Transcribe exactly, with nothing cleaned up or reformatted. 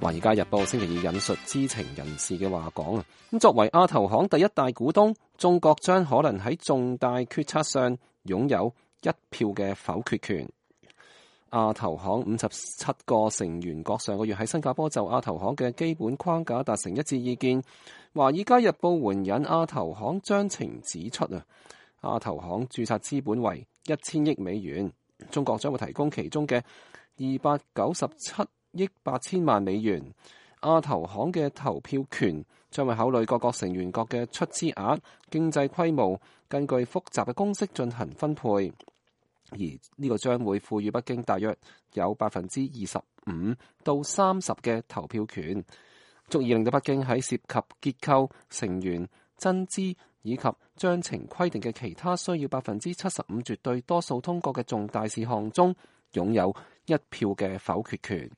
華爾街日報星期二引述知情人士嘅話講啊，咁作為亞投行第一大股東，中國將可能喺重大決策上擁有一票嘅否決權。亞投行五十七個成員國上個月喺新加坡就亞投行嘅基本框架達成一致意見。華爾街日報援引亞投行章程指出啊，亞投行註冊資本為一千億美元，中國將會提供其中嘅二百九十七億八千萬美元。亞投行嘅投票權將會考慮各國成員國嘅出資額、經濟規模，根據複雜嘅公式進行分配。而呢個將會賦予北京大約有百分之二十五到三十嘅投票權，足以令到北京喺涉及結構、成員、增資以及章程規定嘅其他需要百分之七十五絕對多數通過嘅重大事項中，擁有一票嘅否決權。